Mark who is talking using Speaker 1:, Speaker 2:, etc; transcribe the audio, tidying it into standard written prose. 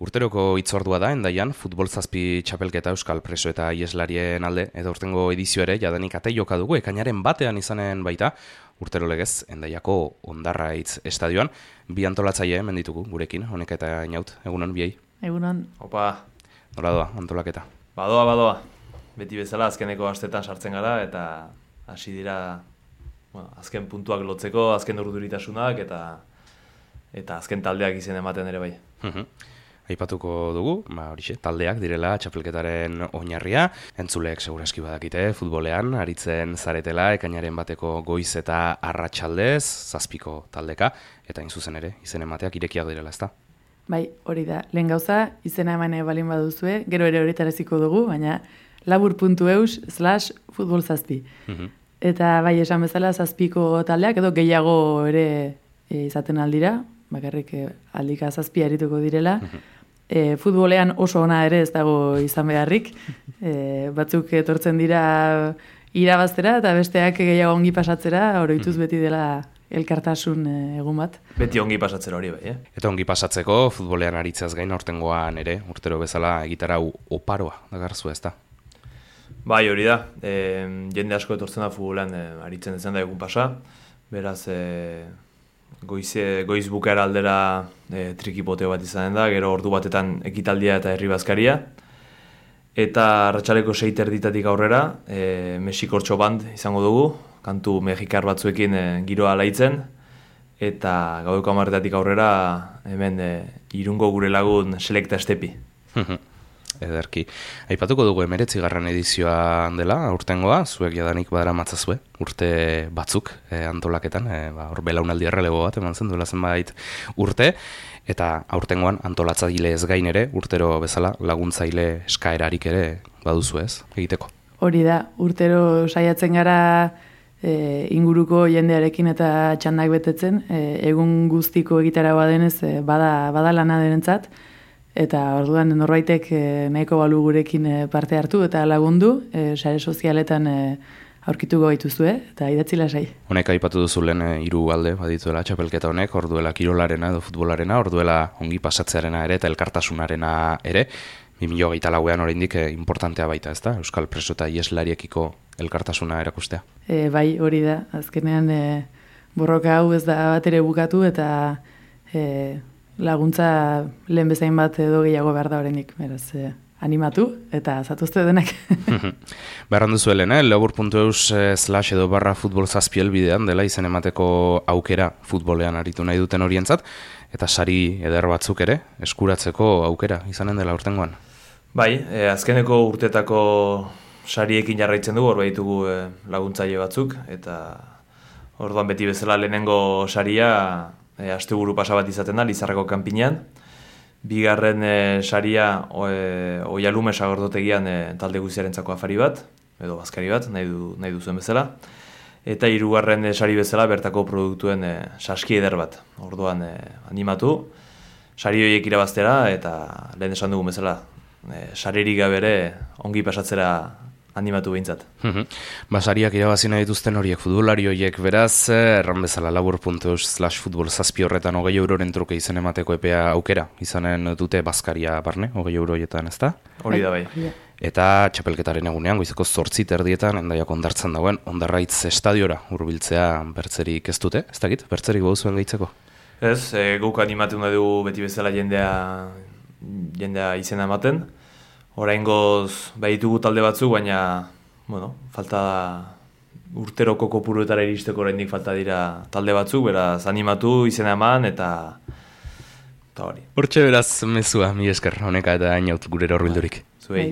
Speaker 1: Urteroko hitzordua da, Hendaian, futbol zazpi txapelketa euskal preso eta ieslarien alde, edo urtengo edizio ere, jadanik ate joka dugu, ekainaren batean izanen baita, urtero legez, Hendaiako Ondarraitz estadioan, bi antolatzaile menditugu gurekin, honek eta inaut, egunon, biei?
Speaker 2: Egunon.
Speaker 3: Opa.
Speaker 1: Nola doa, antolaketa?
Speaker 3: Badoa. Beti bezala azkeneko astetan sartzen gara, eta hasi dira azken puntuak lotzeko, azken urduritasunak, eta azken taldeak izen ematen ere bai.
Speaker 1: Aipatuko dugu, horixe, taldeak direla txapelketaren oinarria, entzuleek segurazki badakite, futbolean, aritzen zaretela, ekainaren bateko goiz eta arratsaldez, zazpiko taldeka, eta zuzen ere, izen emateak irekiak direla, ezta?
Speaker 2: Bai, hori da, lehen gauza, izena emane balin baduzue, gero ere horretaraziko dugu, baina labur.eus/futbolzazpi. Eta bai, esan bezala, zazpiko taldeak, edo gehiago ere izaten aldira, bakarrik aldika zazpi arituko direla. Futbolean oso ona ere ez dago izan beharrik. Batzuk etortzen dira irabaztera eta besteak gehiago ongi pasatzera, oroituz beti dela elkartasun egun bat.
Speaker 3: Beti ongi pasatzera hori bai,
Speaker 1: Eta ongi pasatzeko futbolean aritzeaz gain aurtengoan ere, urtero bezala egitarau oparoa dagarzu, ezta?
Speaker 3: Bai, hori da. Jende asko etortzen da futbolean aritzen ezen da egun pasa. Beraz, goiz bukaera aldera trikipoteo bat izanen da, gero ordu batetan ekitaldia eta herri bazkaria. Eta arratsaleko 6:30 aurrera, Mexikortxo band izango dugu, kantu mexikar batzuekin giroa alaitzen, eta gaueko 10:00 aurrera hemen Irungo gure lagun Selekta Estepi.
Speaker 1: Ederki. Aipatuko dugu 19. edizioa dela, aurtengoa, zuek jadanik badara matzazue, urte batzuk antolaketan, hor belaunaldi errelego bat eman zen duela zenbait urte, eta aurtengoan antolatzaile ez gain ere, urtero bezala laguntzaile eskaerarik ere baduzu ez, egiteko.
Speaker 2: Hori da, urtero saiatzen gara inguruko jendearekin eta txandak betetzen, egun guztiko egitaragoa denez bada lana denentzat, eta orduan norbaitek nahiko balu gurekin parte hartu eta lagundu, sare sozialetan aurkituko gaituzue, eta idatzi lasai. Honek
Speaker 1: aipatu duzu lehen hiru alde badituela txapelketa honek, orduela kirolarena edo futbolarena, orduela ongi pasatzearena ere eta elkartasunarena ere, 2024an oraindik importantea baita, ezta? Euskal preso eta ieslariekiko elkartasuna erakustea.
Speaker 2: Bai, hori da. Azkenean borroka hau ez da bat ere bukatu eta laguntza lehen bezain bat edo gehiago behar da oraindik, beraz, animatu eta zatuzte denak.
Speaker 1: Beharran duzu helen, labur.eus/futbolzazpiel bidean dela izen emateko aukera futbolean aritu nahi duten horientzat, eta sari eder batzuk ere eskuratzeko aukera izanen dela urtengoan.
Speaker 3: Bai, azkeneko urtetako sariekin jarraitzen dugu, hor behitugu laguntzaile batzuk, eta orduan beti bezala lehenengo saria asteburu pasa bat izaten da, Lizarrako kanpinean. Bigarren saria Oialume sagordotegian talde guziarentzako afari bat, edo bazkari bat, nahi duzuen bezala. Eta hirugarren sari bezala bertako produktuen saski eder bat. Orduan animatu, sari horiek irabaztera eta lehen esan dugu bezala, saririk gabere ongi pasatzera animatu behintzat.
Speaker 1: Basariak irabazi nahi dituzten horiek futbolari horiek beraz, erran bezala labur.eus/futbolzazpi horretan 20 euroren truke izen emateko epea aukera, izanen dute bazkaria barne, 20 euroietan, ezta?
Speaker 3: Hori da bai.
Speaker 1: Eta txapelketaren egunean, goizeko 8:30 Hendaiak ondartzen dagoen, Ondarraitz estadiora hurbiltzea bertzerik ez dute, ez dakit, bertzerik baduzuen gehitzeko?
Speaker 3: Ez, guk animatu nahi dugu beti bezala jendea izena ematen. Oraingoz baditugu talde batzuk, baina falta urteroko kopuruetara iristeko oraindik falta dira talde batzuk, beraz animatu, izena eman eta hori.
Speaker 1: Hortxe beraz mezua, mi esker, honeka eta inaut gurera horbildurik.
Speaker 3: Zuei.